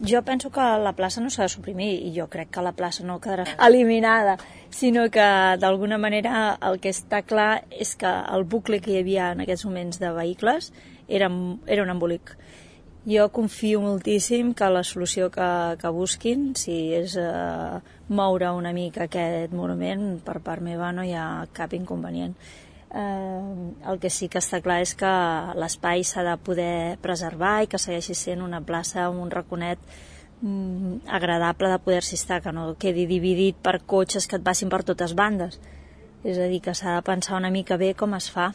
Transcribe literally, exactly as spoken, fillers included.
Jo penso que la plaça no s'ha de suprimir i jo crec que la plaça no quedarà eliminada, sinó que d'alguna manera el que està clar és que el bucle que hi havia en aquests moments de vehicles era, era un embolic. Jo confio moltíssim que la solució que, que busquin, si és eh, moure una mica aquest monument, per part meva no hi ha cap inconvenient. Eh, el que sí que està clar és que l'espai s'ha de poder preservar i que segueixi sent una plaça amb un raconet mm, agradable de poder-s'hi estar, que no quedi dividit per cotxes que et passin per totes bandes. És a dir, que s'ha de pensar una mica bé com es fa.